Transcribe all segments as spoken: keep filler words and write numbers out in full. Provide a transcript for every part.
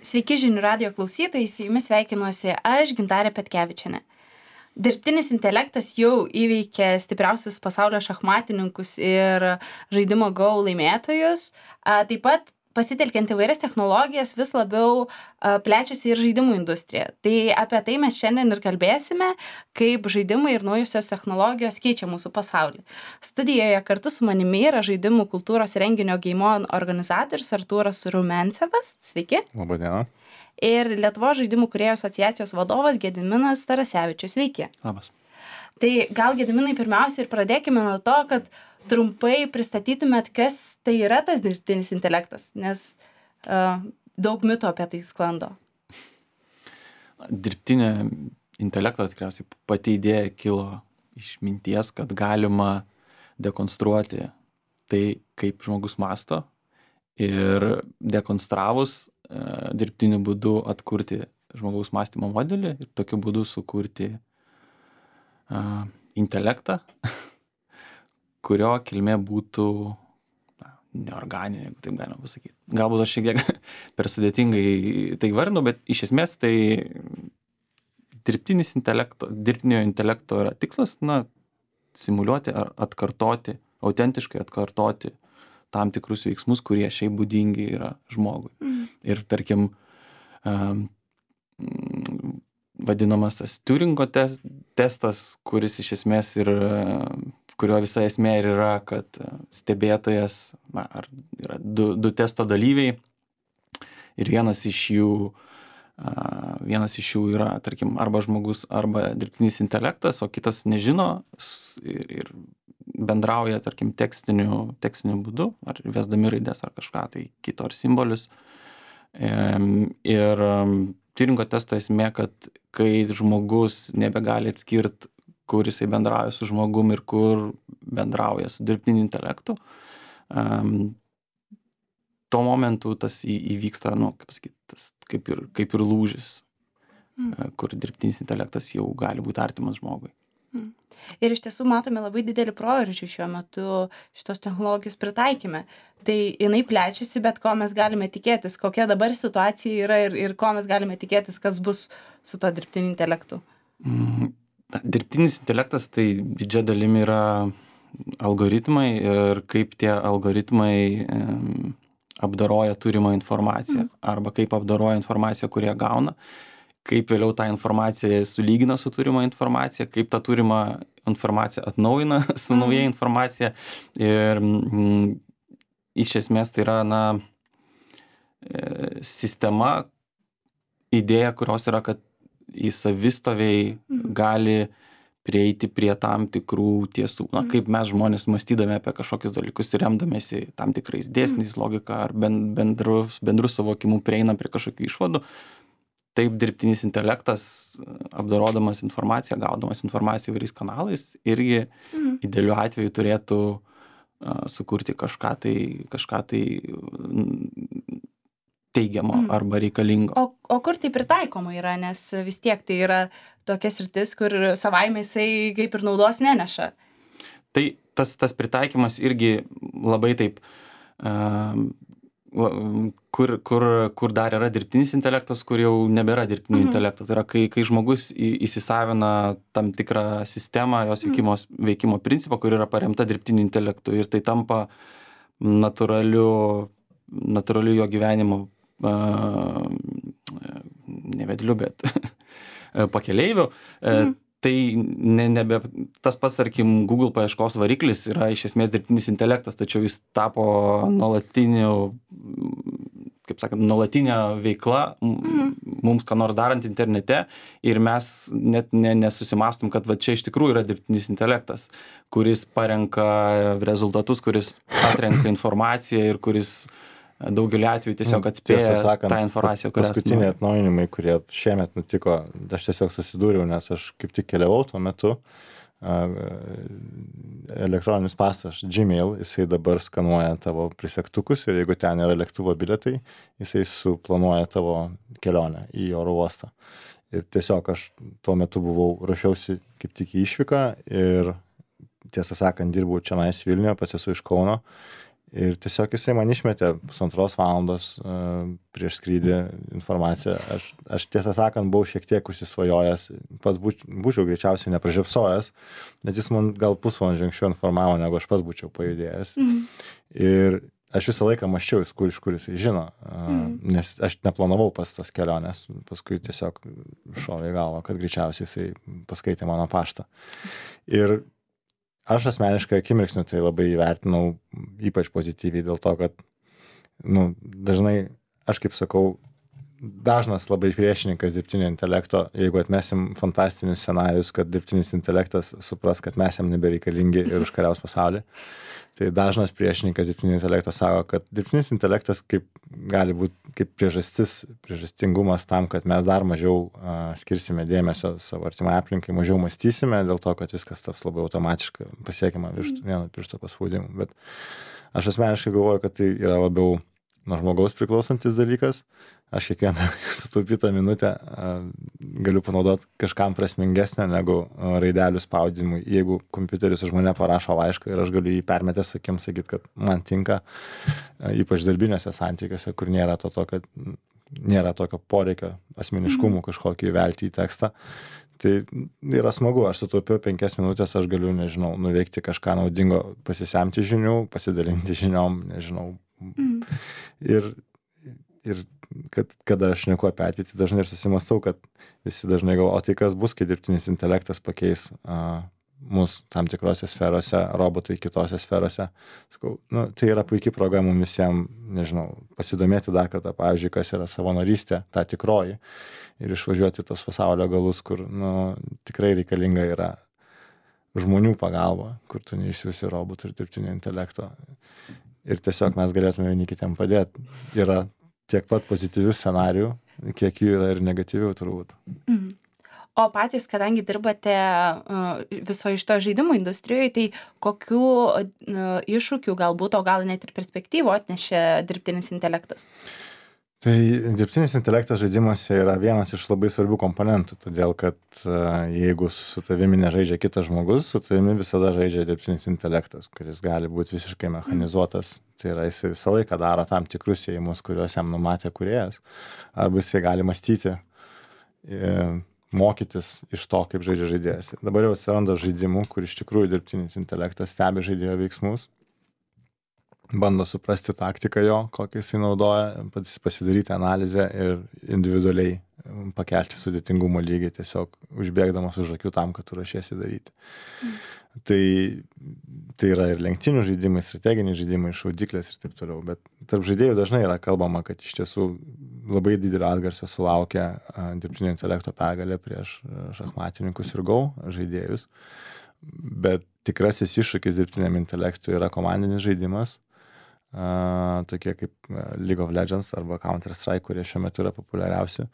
Sveiki žinių radijo klausytojai, su jumis sveikinuosi aš, Gintarė Petkevičienė. Dirbtinis intelektas jau įveikė stipriausius pasaulio šachmatininkus ir žaidimo Go laimėtojus. A, Taip pat pasitelkiant įvairias technologijas vis labiau a, plečiasi ir žaidimų industrija. Tai apie tai mes šiandien ir kalbėsime, kaip žaidimai ir naujusios technologijos keičia mūsų pasaulį. Studijoje kartu su manimi yra žaidimų kultūros renginio Geimon organizatorius Artūras Rumencevas. Sveiki. Labą dieną. Ir Lietuvos žaidimų kūrėjų asociacijos vadovas Gediminas Tarasevičius. Sveiki. Labas. Tai gal, Gediminai, pirmiausia ir pradėkime nuo to, kad trumpai pristatytumėt, kas tai yra tas dirbtinis intelektas, nes uh, daug mitų apie tai sklando. Dirbtinio intelekto tikriausiai pati idėja kilo iš minties, kad galima dekonstruoti tai, kaip žmogus mąsto, ir dekonstravus uh, dirbtiniu būdu atkurti žmogaus mąstymo modelį ir tokiu būdu sukurti uh, intelektą, kurio kilmė būtų na, neorganinė, jeigu taip galima pasakyti. Galbūt aš šiek tiek per sudėtingai tai vardinu, bet iš esmės tai dirbtinis intelekto, dirbtinio intelekto yra tikslas, na, simuliuoti ar atkartoti, autentiškai atkartoti tam tikrus veiksmus, kurie šiaip būdingi yra žmogui. Mm. Ir tarkim, um, vadinamas tas Turingo tes, testas, kuris iš esmės ir kurio visa esmė ir yra, kad stebėtojas, na, ar yra du, du testo dalyviai ir vienas iš jų, uh, vienas iš jų yra, tarkim, arba žmogus, arba dirbtinis intelektas, o kitas nežino ir, ir bendrauja, tarkim, tekstiniu, tekstiniu būdu, ar vesdami raides ar kažką tai kito, ar simbolius. Um, ir um, Turingo testo esmė, kad kai žmogus nebegali atskirti, kur jisai bendrauja su žmogum ir kur bendrauja su dirbtiniu intelektu, um, tuo momentu tas į, įvyksta, nu, kaip sakyt, tas kaip ir, kaip ir lūžis, mm. kur dirbtinis intelektas jau gali būti artimas žmogui. Mm. Ir iš tiesų matome labai didelį proveržį šiuo metu šitos technologijos pritaikymė. Tai jinai plečiasi, bet ko mes galime tikėtis, kokia dabar situacija yra ir, ir ko mes galime tikėtis, kas bus su to dirbtiniu intelektu. Mm. Dirbtinis intelektas tai didžia dalimi yra algoritmai ir kaip tie algoritmai um, apdoroja turimą informaciją mm. arba kaip apdoroja informaciją, kurią gauna, kaip vėliau tą informaciją sulygina su turima informacija, kaip tą turimą informaciją atnaujina su mm. nauja informacija. Ir mm, iš esmės tai yra, na, e, sistema, idėja, kurios yra, kad į savistoviai mm. gali prieiti prie tam tikrų tiesų. Na, mm. kaip mes žmonės mąstydami apie kažkokius dalykus ir remdamėsi tam tikrais dėsniais, mm. logika ar bendru, bendru suvokimu prieina prie kažkokių išvadų. Taip dirbtinis intelektas, apdorodamas informaciją, gaudamas informaciją įvairiais kanalais, irgi mm. idealiu atveju turėtų uh, sukurti kažką tai, kažką tai teigiamo mm. arba reikalingo. O, o kur tai pritaikoma yra, nes vis tiek tai yra tokia sritis, kur savaime jisai kaip ir naudos neneša. Tai tas, tas pritaikymas irgi labai taip, uh, kur, kur, kur dar yra dirbtinis intelektas, kur jau nebėra dirbtinio mm-hmm. intelekto. Tai yra, kai, kai žmogus įsisavina tam tikrą sistemą, jos veikimo, mm. veikimo principą, kur yra paremta dirbtiniu intelektu ir tai tampa natūraliu, natūraliu jo gyvenimo uh, ne vedliu, bet pakeleiviu. Mm. Tai ne, nebe, tas pats, tarkim, Google paieškos variklis yra iš esmės dirbtinis intelektas, tačiau jis tapo nuolatiniu, kaip sakant, nuolatinė veikla mm. mums ką nors darant internete ir mes net ne, nesusimastom, kad va čia iš tikrųjų yra dirbtinis intelektas, kuris parenka rezultatus, kuris atrenka informaciją ir kuris daugelį atvejų tiesiog atspėja sakant, tą informaciją, kurią paskutiniai atnaujinimai, kurie šiemet nutiko, aš tiesiog susidūriau, nes aš kaip tik keliavau tuo metu, elektroninis paštas Gmail, jisai dabar skanuoja tavo prisektukus ir jeigu ten yra lėktuvo bilietai, jisai suplanuoja tavo kelionę į oro uostą. Ir tiesiog aš tuo metu buvau, ruošiausi kaip tik į išvyką ir tiesą sakant, dirbau čionais Vilniuje, pats esu iš Kauno. Ir tiesiog jisai man išmetė pusantros valandos uh, prieš skrydį informaciją. Aš, aš tiesą sakant, buvau šiek tiek užsisvajojęs, pats būč, būčiau greičiausiai nepražiopsojęs, bet jis man gal pusvalandžio anksčiau informavo, negu aš pats būčiau pajudėjęs. Mm. Ir aš visą laiką maščiau, kur iš kur jisai žino, uh, mm. nes aš neplanavau pas tos kelionės, paskui tiesiog šovė į galvą, kad greičiausiai jisai paskaitė mano paštą. Ir aš asmeniškai akimirksniu tai labai įvertinau ypač pozityviai dėl to, kad nu, dažnai, aš kaip sakau, dažnas labai priešininkas dirbtinio intelekto, jeigu atmesim fantastinius scenarius, kad dirbtinis intelektas supras, kad mes jam nebereikalingi ir užkariaus pasaulį, tai dažnas priešininkas dirbtinio intelekto sako, kad dirbtinis intelektas kaip, gali būti kaip priežastis, priežastingumas tam, kad mes dar mažiau uh, skirsime dėmesio savo artimai aplinkai, mažiau mąstysime dėl to, kad viskas taps labai automatiškai pasiekiama virš vieno piršto paspaudimu. Bet aš asmeniškai galvoju, kad tai yra labiau nuo žmogaus priklausantis dalykas. Aš kiekvieną sutaupytą minutę uh, galiu panaudoti kažkam prasmingesnę negu uh, raidelių spaudimui. Jeigu kompiuteris už mane parašo laišką ir aš galiu jį permetęs akim sakyti, kad man tinka, uh, ypač darbiniuose santykiuose, kur nėra to tokio, nėra tokio poreikio asmeniškumų kažkokį įvelti į tekstą. Tai yra smagu, aš sutaupiau penkias minutės, aš galiu, nežinau, nuveikti kažką naudingo, pasisemti žinių, pasidalinti žiniom, nežinau. Mm. Ir, ir kad, kada aš šneku apie ateitį, dažnai ir susimastau, kad visi dažnai galvoja, o tai kas bus, kai dirbtinis intelektas pakeis uh, mus tam tikrose sferose, robotai kitose sferose. Sakau, nu, tai yra puikia proga mums visiems, nežinau, pasidomėti dar kartą, pavyzdžiui, kas yra savanorystė, ta tikroji, ir išvažiuoti tos pasaulio galus, kur nu, tikrai reikalinga yra žmonių pagalba, kur tu neišsiųsi robotų ir dirbtinio intelekto. Ir tiesiog mes galėtume vieni kitiem padėti. Yra tiek pat pozityvių scenarijų, kiek jų yra ir negatyvių turbūt. Mm. O patys, kadangi dirbate uh, visoje iš to žaidimų industrijoje, tai kokių uh, iššūkių galbūt, o gal net ir perspektyvų atnešė dirbtinis intelektas? Tai dirbtinis intelektas žaidimuose yra vienas iš labai svarbių komponentų, todėl kad uh, jeigu su tavimi nežaidžia kitas žmogus, su tavimi visada žaidžia dirbtinis intelektas, kuris gali būti visiškai mechanizuotas. Tai yra, jis visą laiką daro tam tikrus ėjimus, kuriuos jam numatė kūrėjas, arba jisai gali mąstyti, e, mokytis iš to, kaip žaidžia žaidėjas. Dabar jau atsiranda žaidimų, kur iš tikrųjų dirbtinis intelektas stebi žaidėjo veiksmus, bando suprasti taktiką jo, kokią jisai naudoja, pasidaryti analizę ir individualiai pakelti sudėtingumo lygį, tiesiog užbėgdamas už akių tam, kad tu ruošiesi daryti. Mm. Tai, tai yra ir lenktynių žaidimai, strateginiai žaidimai, šaudyklės ir taip toliau, bet tarp žaidėjų dažnai yra kalbama, kad iš tiesų labai didelio atgarsio sulaukia a, dirbtinio intelekto pergalė prieš šachmatininkus ir Go žaidėjus, bet tikrasis iššūkis dirbtiniam intelektui yra komandinis žaidimas, Uh, tokie kaip League of Legends arba Counter-Strike, kurie šiuo metu yra populiariausi,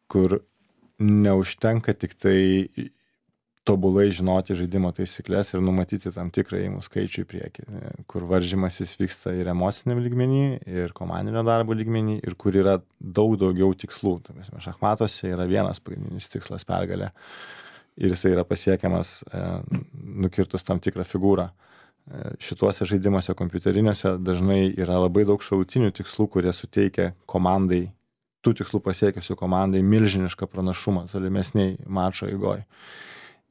kur neužtenka tik tai tobulai žinoti žaidimo taisyklės ir numatyti tam tikrą įmų skaičių į priekį, kur varžymasis vyksta ir emociniam lygmenį, ir komandinio darbo lygmenį, ir kur yra daug daugiau tikslų. Tai mes šachmatuose yra vienas pagrindinis tikslas pergalė ir jisai yra pasiekiamas e, nukirtus tam tikrą figūrą. Šituose žaidimuose kompiuteriniuose dažnai yra labai daug šalutinių tikslų, kurie suteikia komandai, tų tikslų pasiekiusių komandai milžinišką pranašumą tolimesniai mačo eigoje.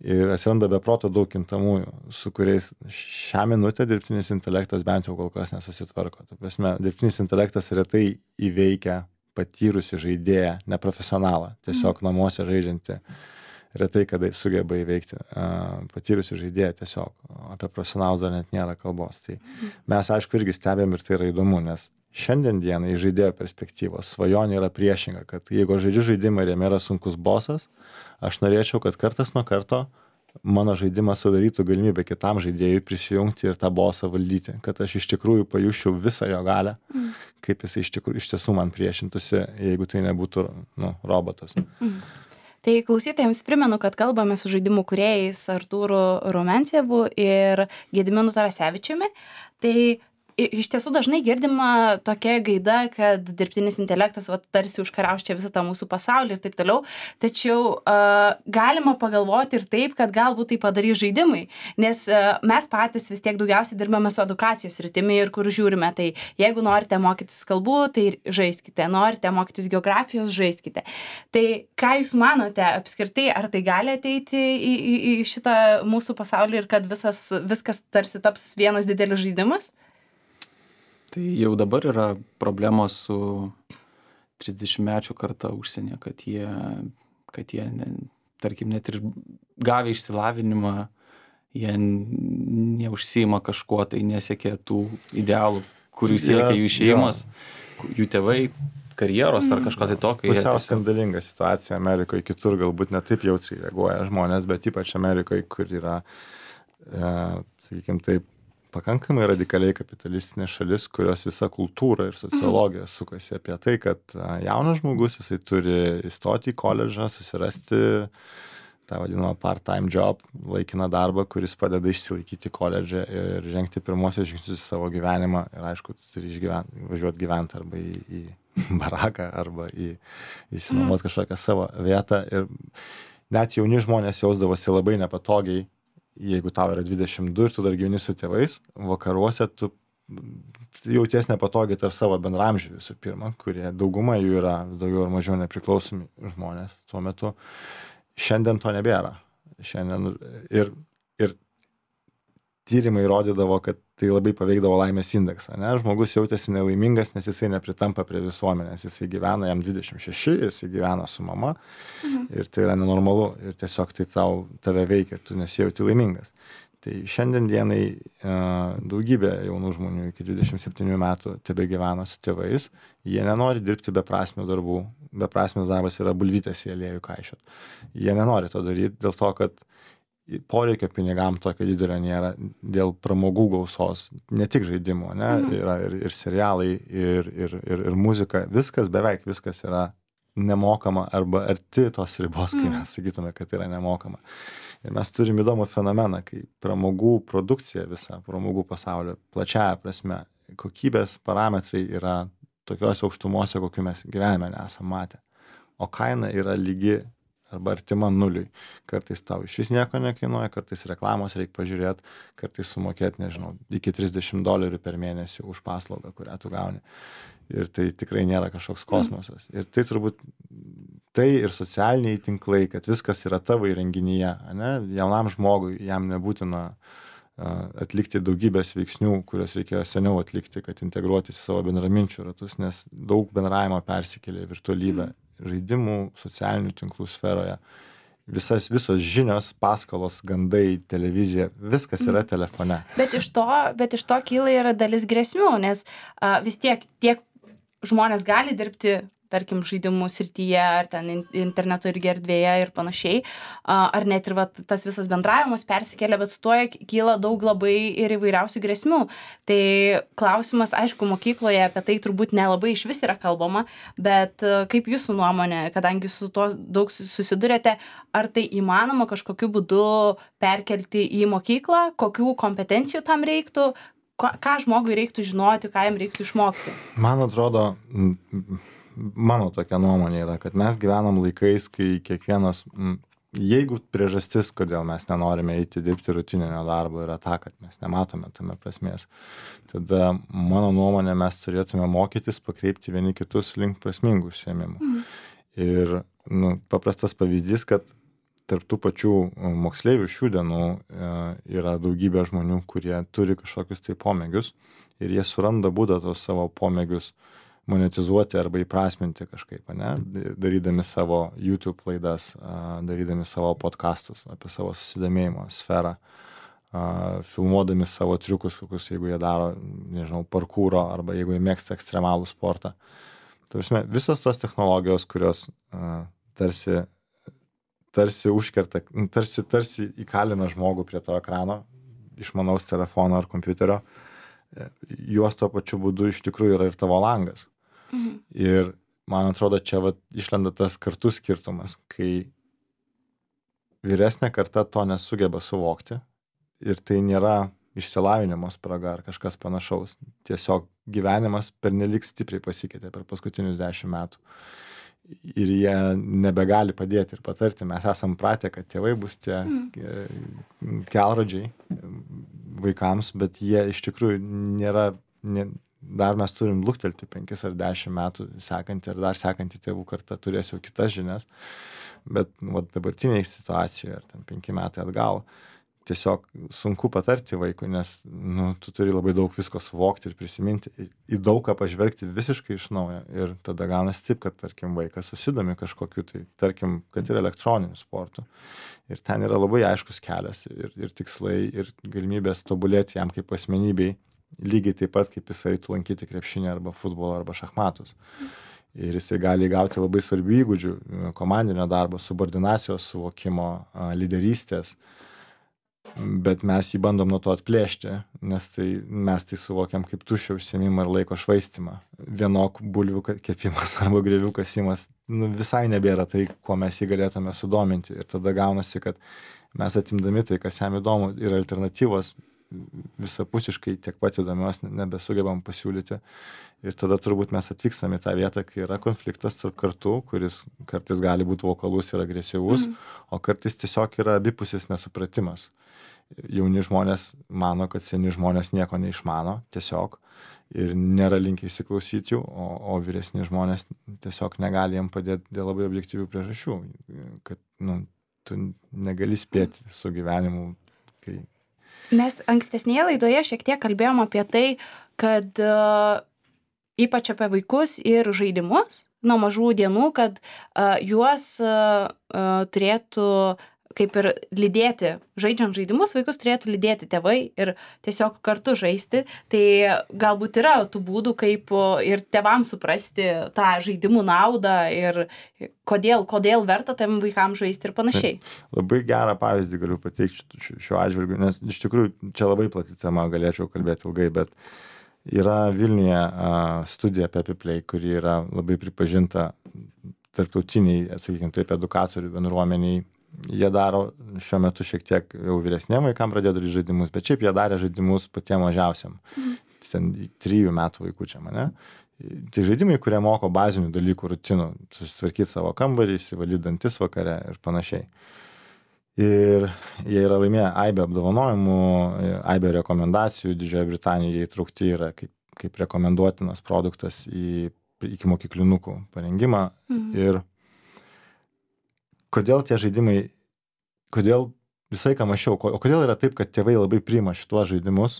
Ir atsiranda be proto daug kintamųjų, su kuriais šią minutę dirbtinis intelektas bent jau kol kas nesusitvarko. Ta prasme, dirbtinis intelektas retai įveikia patyrusi žaidėją, neprofesionalą, tiesiog namuose žaidžiantį. Retai kada sugeba įveikti uh, patyrusi žaidėją, tiesiog apie profesionalus dar net nėra kalbos. Tai mes aišku irgi stebėm ir tai yra įdomu, nes šiandien dienai iš žaidėjo perspektyvos svajonė yra priešinga, kad jeigu žaidžiu žaidimą ir jame yra sunkus bosas, aš norėčiau, kad kartas nuo karto mano žaidimas sudarytų galimybę kitam žaidėjui prisijungti ir tą bosą valdyti, kad aš iš tikrųjų pajusčiau visą jo galią, mm. kaip jis iš, tikrųjų, iš tiesų man priešintųsi, jeigu tai nebūtų nu, robotas. Mm. Tai klausytojams primenu, kad kalbame su žaidimų kūrėjais Artūru Rumencievu ir Gediminu Tarasevičiumi. Tai iš tiesų dažnai girdima tokia gaida, kad dirbtinis intelektas va, tarsi užkariaus čia visą tą mūsų pasaulį ir taip toliau, tačiau uh, galima pagalvoti ir taip, kad galbūt tai padarys žaidimai, nes uh, mes patys vis tiek daugiausiai dirbame su edukacijos sritimi ir kur žiūrime, tai jeigu norite mokytis kalbų, tai žaiskite, norite mokytis geografijos, žaiskite. Tai ką jūs manote apskritai, ar tai gali ateiti į, į, į šitą mūsų pasaulį ir kad visas, viskas tarsi taps vienas didelis žaidimas? Tai jau dabar yra problemos su trisdešimtmečių karta užsienyje, kad jie, kad jie ne, tarkim, net ir gavę išsilavinimą, jie neužsiima kažkuo, tai nesiekia tų idealų, kurių siekia jų šeimos, jų tėvai, karjeros ar kažko tai tokio. Pusiau skandalinga situacija Amerikoje, kitur galbūt ne taip jautriai reaguoja žmonės, bet ypač Amerikoje, kur yra, e, sakykime, taip, pakankamai radikaliai kapitalistinė šalis, kurios visa kultūra ir sociologija sukasi apie tai, kad jaunas žmogus, jisai turi įstoti į koledžą, susirasti tą vadinamą part-time job, laikiną darbą, kuris padeda išsilaikyti koledžą ir žengti pirmosios žingsnius į savo gyvenimą. Ir aišku, tu turi išgyventi, važiuoti gyventi arba į, į baraką, arba į įsinuomoti kažkokią savo vietą. Ir net jauni žmonės jausdavosi labai nepatogiai, jeigu tau yra dvidešimt du ir tu dar gyveni su tėvais, vakaruose tu jauties nepatogiai tarp savo bendramžių visų pirma, kurie dauguma jų yra daugiau ar mažiau nepriklausomi žmonės tuo metu. Šiandien to nebėra. Šiandien ir, ir tyrimai rodydavo, kad tai labai paveikdavo laimės indeksą. Ne? Žmogus jautėsi nelaimingas, nes jisai nepritampa prie visuomenės. Jisai gyvena, jam dvidešimt šeši, jisai gyvena su mama mhm. ir tai yra nenormalu ir tiesiog tai tau, tave veikia, tu nesijauti laimingas. Tai šiandien dienai daugybė jaunų žmonių iki dvidešimt septynių metų tebe gyvena su tėvais, jie nenori dirbti beprasmių darbų, beprasmis darbas yra bulvytės į aliejų kaišiot. Jie nenori to daryti dėl to, kad poreikio pinigam tokio didelio nėra, dėl pramogų gausos, ne tik žaidimų, ne, yra ir, ir serialai, ir, ir, ir, ir muzika, viskas, beveik viskas yra nemokama arba arti tos ribos, kai mes sakytume, kad yra nemokama. Ir mes turim įdomų fenomeną, kai pramogų produkcija visa, pramogų pasaulio, plačiaja prasme, kokybės parametrai yra tokios aukštumose, kokiu mes gyvenime nesam matę. O kaina yra lygi arba artima nuliui. Kartais tau iš vis nieko nekainuoja, kartais reklamos reikia pažiūrėti, kartais sumokėti, nežinau, iki trisdešimt dolerių per mėnesį už paslaugą, kurią tu gauni. Ir tai tikrai nėra kažkoks kosmosas. Ir tai turbūt tai ir socialiniai tinklai, kad viskas yra tavo įrenginyje, ne? Jaunam žmogui jam nebūtina atlikti daugybės veiksnių, kurios reikėjo seniau atlikti, kad integruotis į savo bendraminčių ratus, nes daug bendravimo persikėlė į virtualybę, žaidimų, socialinių tinklų sferoje. Visas, visos žinios, paskalos, gandai, televizija, viskas yra telefone. Bet iš to, bet iš to kyla yra dalis grėsmių, nes a, vis tiek tiek žmonės gali dirbti, tarkim, žaidimų srityje, ar ten interneto irgi erdvėje ir panašiai, ar net ir va, tas visas bendravimas persikelia, bet su tuo kyla daug labai ir įvairiausių grėsmių. Tai klausimas, aišku, mokykloje apie tai turbūt nelabai iš vis yra kalbama, bet kaip jūsų nuomonė, kadangi su tuo daug susidurėte, ar tai įmanoma kažkokiu būdu perkelti į mokyklą, kokių kompetencijų tam reiktų, ką žmogui reiktų žinoti, ką jam reiktų išmokti? Man atrodo, mano tokia nuomonė yra, kad mes gyvenam laikais, kai kiekvienas, jeigu priežastis, kodėl mes nenorime eiti dirbti rutininio darbo, yra ta, kad mes nematome tame prasmės, tada mano nuomonė mes turėtume mokytis pakreipti vieni kitus link prasmingų užsiėmimų. Mm. Ir nu, paprastas pavyzdys, kad tarp tų pačių moksleivių šių dienų e, yra daugybė žmonių, kurie turi kažkokius tai pomėgius ir jie suranda būdą tos savo pomėgius monetizuoti arba įprasminti kažkaip, ne? Darydami savo YouTube laidas, darydami savo podcastus apie savo susidomėjimo sferą, filmuodami savo triukus, kokius, jeigu jie daro, nežinau, parkūro arba jeigu jie mėgsta ekstremalų sportą. Tarsi, visos tos technologijos, kurios tarsi tarsi užkerta, tarsi, tarsi įkalina žmogų prie to ekrano, išmanaus telefono ar kompiuterio, juos tuo pačiu būdu iš tikrųjų yra ir tavo langas. Mhm. Ir man atrodo, čia vat, išlenda tas kartų skirtumas, kai vyresnė karta to nesugeba suvokti ir tai nėra išsilavinimo spraga ar kažkas panašaus. Tiesiog gyvenimas pernelyg stipriai pasikeitė per paskutinius dešimt metų. Ir jie nebegali padėti ir patarti. Mes esam pratę, kad tėvai bus tie mm. kelrodžiai vaikams, bet jie iš tikrųjų nėra, ne, dar mes turim luktelti penkis ar dešimt metų sekantį ar dar sekantį tėvų kartą turės jau kitas žinias, bet nu, dabartiniai situacijoje, ar ten penki metai atgal, tiesiog sunku patarti vaikui, nes nu, tu turi labai daug visko suvokti ir prisiminti, į daug ką pažvelgti visiškai iš naujo. Ir tada gaunasi taip, kad, tarkim, vaikas susidomi kažkokiu, tai tarkim, kad ir elektroniniu sportu. Ir ten yra labai aiškus kelias ir, ir tikslai, ir galimybės tobulėti jam kaip asmenybei, lygiai taip pat, kaip jisai eitų lankyti krepšinį arba futbolą arba šachmatus. Ir jisai gali gauti labai svarbių įgūdžių, komandinio darbo, subordinacijos suvokimo, lyderystės, bet mes jį bandom nuo to atplėšti, nes tai, mes tai suvokiam kaip tuščią užsiėmimą ir laiko švaistimą. Vienok bulvių kepimas arba grėvių kasimas nu, visai nebėra tai, kuo mes jį galėtume sudominti. Ir tada gaunasi, kad mes atimdami tai, kas jam įdomu, ir alternatyvos visapusiškai tiek pat įdomios nebesugebam pasiūlyti. Ir tada turbūt mes atvykstam į tą vietą, kai yra konfliktas tarp kartų, kuris kartais gali būti vokalus ir agresyvus, mm. o kartais tiesiog yra abipusis nesupratimas. Jauni žmonės mano, kad seni žmonės nieko neišmano, tiesiog, ir nėra linkę įsiklausyti jų, o, o vyresni žmonės tiesiog negali jiem padėti dėl labai objektyvių priežasčių, kad nu, tu negali spėti su gyvenimu. Kai... Mes ankstesnėje laidoje šiek tiek kalbėjom apie tai, kad uh, ypač apie vaikus ir žaidimus nuo mažų dienų, kad uh, juos uh, uh, turėtų kaip ir lydėti, žaidžiant žaidimus, vaikus turėtų lydėti tėvai ir tiesiog kartu žaisti. Tai galbūt yra tų būdų, kaip ir tėvams suprasti tą žaidimų naudą ir kodėl, kodėl verta tam vaikams žaisti ir panašiai. Tai labai gerą pavyzdį galiu pateikti šiuo atžvilgiu, nes iš tikrųjų čia labai plati tema, galėčiau kalbėti ilgai, bet yra Vilniuje studija Pepi Play, kuri yra labai pripažinta tarptautiniai, sakykime taip, edukatorių bendruomeniai. Jie daro šiuo metu šiek tiek jau vyresniem vaikam pradėjo daryti žaidimus, bet šiaip jie darė žaidimus patiem mažiausiam. Mhm. Ten trijų metų vaikučiam, ne? Tai žaidimai, kurie moko bazinių dalykų, rutinų, susitvarkyti savo kambarį, įsivalyti dantis vakare ir panašiai. Ir jie yra laimėję aibę apdovanojimų, aibę rekomendacijų, Didžiojoje Britanijoje įtraukti yra kaip, kaip rekomenduotinas produktas į iki mokyklinukų parengimą. Mhm. Ir kodėl tie žaidimai, kodėl visai ką mačiau, o kodėl yra taip, kad tėvai labai priima šituos žaidimus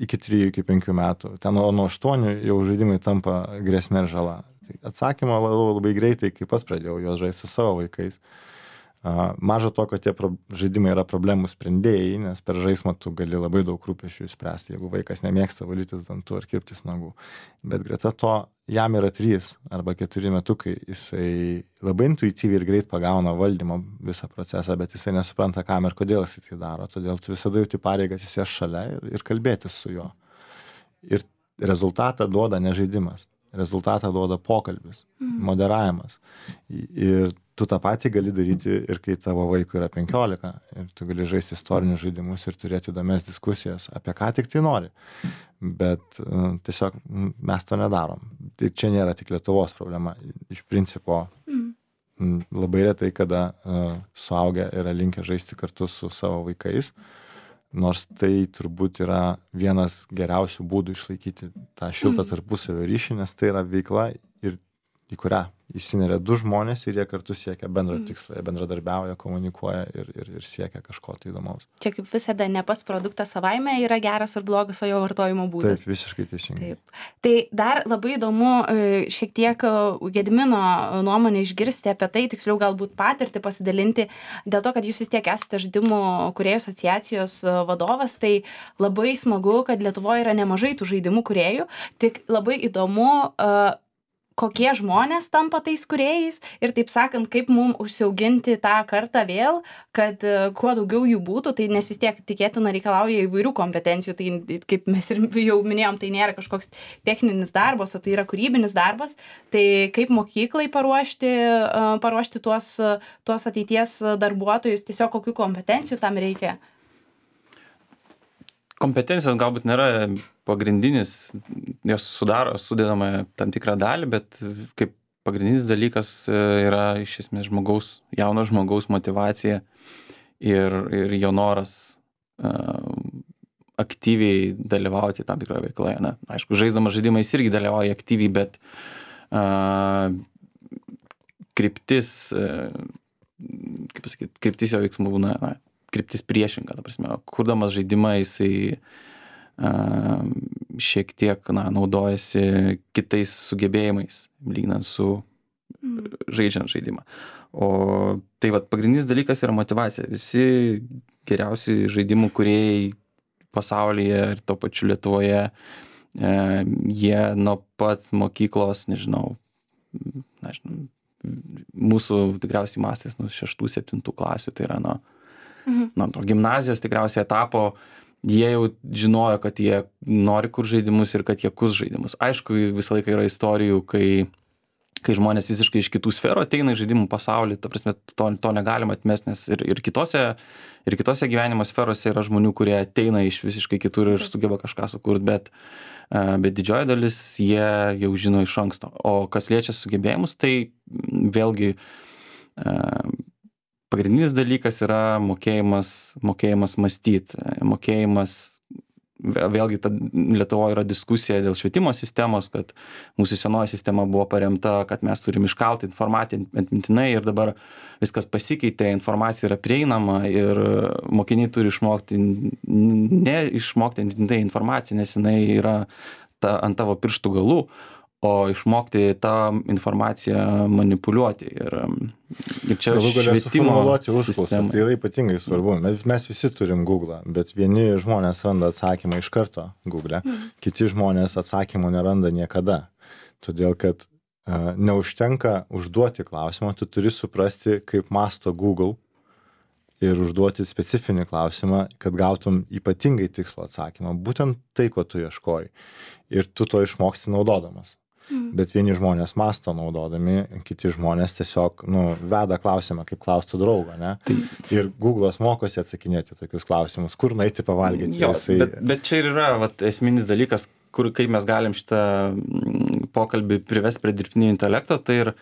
iki trijų, iki penkių metų, ten nuo aštuonių jau žaidimai tampa grėsmė ir žala. Tai atsakymą labai, labai greitai, kai pats pradėjau juos žaisti su savo vaikais. Maža to, kad tie pro, žaidimai yra problemų sprendėjai, nes per žaismą tu gali labai daug rūpesčių išspręsti, jeigu vaikas nemėgsta valytis dantų ar kirptis nagų. Bet greta to, jam yra trys arba keturi metukai, jisai labai intuityviai ir greit pagauna valdymo visą procesą, bet jisai nesupranta, kam ir kodėl jisai tai daro. Todėl tu visada jauti pareigą atsisėsti šalia ir, ir kalbėtis su juo. Ir rezultatą duoda ne žaidimas. Rezultatą duoda pokalbis, mm. moderavimas. Ir tu tą patį gali daryti ir kai tavo vaikui yra penkiolika. Ir tu gali žaisti istorinius žaidimus ir turėti įdomias diskusijas, apie ką tik tai nori. Bet uh, tiesiog mes to nedarom. Tai čia nėra tik Lietuvos problema. Iš principo mm. labai retai, kada uh, suaugę yra linkę žaisti kartu su savo vaikais. Nors tai turbūt yra vienas geriausių būdų išlaikyti tą šiltą tarpusavio ryšį, nes tai yra veikla, ir į kurią įsineria du žmonės ir jie kartu siekia bendro tikslo, jie bendradarbiauja, komunikuoja ir, ir, ir siekia kažko tai įdomaus. Čia kaip visada ne pats produktas savaime yra geras ar blogas, o jo vartojimo būdas. Taip, visiškai teisingai. Taip. Tai dar labai įdomu šiek tiek Gedimino nuomonę išgirsti apie tai, tiksliau galbūt patirtį pasidalinti, dėl to, kad jūs vis tiek esate žaidimų kūrėjų asociacijos vadovas, tai labai smagu, kad Lietuvoje yra nemažai tų žaidimų kūrėjų, tik labai įdomu, kokie žmonės tampa tais kūrėjais ir taip sakant, kaip mums užsiauginti tą kartą vėl, kad kuo daugiau jų būtų, tai nes vis tiek tikėtina reikalauja įvairių kompetencijų, tai kaip mes ir jau minėjom, tai nėra kažkoks techninis darbas, o tai yra kūrybinis darbas, tai kaip mokyklai paruošti, paruošti tuos, tuos ateities darbuotojus, tiesiog kokių kompetencijų tam reikia? kompetencijos galbūt nėra pagrindinis, jos sudaro, sudedama tam tikrą dalį, bet kaip pagrindinis dalykas yra iš esmės žmogaus, jauno žmogaus motyvacija ir, ir jo noras uh, aktyviai dalyvauti tam tikroje veikloje. Na, aišku, žaisdamas žaidimą jis irgi dalyvauja aktyviai, bet uh, kryptis, uh, kaip pasakyti, kryptis jo veiksmų būna, na, kryptis priešinga, ta prasme, kurdamas žaidimą jisai uh, šiek tiek, na, naudojasi kitais sugebėjimais, lyginant su mm. žaidžiant žaidimą. O tai vat pagrindinis dalykas yra motyvacija. Visi geriausi žaidimų kūrėjai pasaulyje ir to pačiu Lietuvoje, e, jie nuo pat mokyklos, nežinau, nežinau, mūsų tikriausiai mastės nuo šeštų, septintų klasių, tai yra nuo, mhm. nuo to gimnazijos tikriausiai etapo, jie jau žinojo, kad jie nori kur žaidimus ir kad jie kus žaidimus. Aišku, visą laiką yra istorijų, kai, kai žmonės visiškai iš kitų sferų ateina į žaidimų pasaulį, ta prasme, to, to negalima atmesti, nes ir, ir, kitose, ir kitose gyvenimo sferose yra žmonių, kurie ateina iš visiškai kitur ir sugeba kažką sukurti, bet, bet didžioji dalis jie jau žino iš anksto. O kas liečia sugebėjimus, tai vėlgi pagrindinis dalykas yra mokėjimas, mokėjimas mąstyti, mokėjimas, vėlgi ta Lietuvoje yra diskusija dėl švietimo sistemos, kad mūsų senoji sistema buvo paremta, kad mes turim iškalti informaciją atmintinai ir dabar viskas pasikeitė, informacija yra prieinama ir mokiniai turi išmokti, ne išmokti atmintinai informaciją, nes jinai yra ta, ant tavo pirštų galų, o išmokti tą informaciją manipuliuoti. Ir, ir čia galų galia švietimo sistema. Tai yra ypatingai svarbu. Mes, mes visi turim Google, bet vieni žmonės randa atsakymą iš karto Google, mm. kiti žmonės atsakymo neranda niekada. Todėl, kad uh, neužtenka užduoti klausimą, tu turi suprasti, kaip masto Google ir užduoti specifinį klausimą, kad gautum ypatingai tikslo atsakymą. Būtent tai, ko tu ieškoji. Ir tu to išmoksti naudodamas. Mm. Bet vieni žmonės masto naudodami, kiti žmonės tiesiog, nu, veda klausimą, kaip klaustų draugą, ne? Tai. Ir Google'as mokosi atsakinėti tokius klausimus, kur nueiti pavalgyti. Jo, jisai... bet, bet čia ir yra vat, esminis dalykas, kur, kaip mes galim šitą pokalbį privesti prie dirbtinio intelekto, tai ir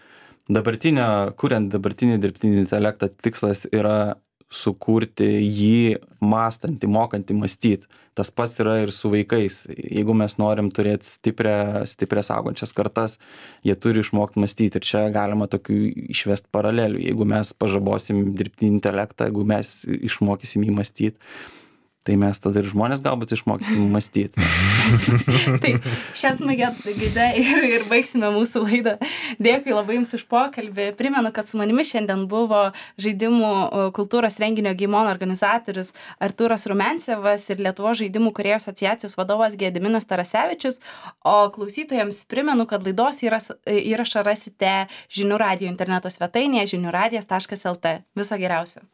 dabartinio, kuriant dabartinį dirbtinį intelektą, tikslas yra sukurti jį mąstantį, mokantį mąstyti. Tas pats yra ir su vaikais. Jeigu mes norim turėti stiprią, stiprias augančias kartas, jie turi išmokti mąstyti. Ir čia galima tokių išvesti paralelių. Jeigu mes pažabosim dirbtinį intelektą, jeigu mes išmokysim jį mąstyti, tai mes tada ir žmonės galbūt išmokysim mąstyti. Taip, šią smagę gaidą ir, ir baigsime mūsų laidą. Dėkui labai Jums už pokalbį. Primenu, kad su manimi šiandien buvo žaidimų kultūros renginio Game On organizatorius Artūras Rumencevas ir Lietuvos žaidimų kūrėjų asociacijos vadovas Gediminas Tarasevičius. O klausytojams primenu, kad laidos įrašą rasite Žinių radijo interneto svetainėje žinių radijas taškas el tė. Viso geriausio.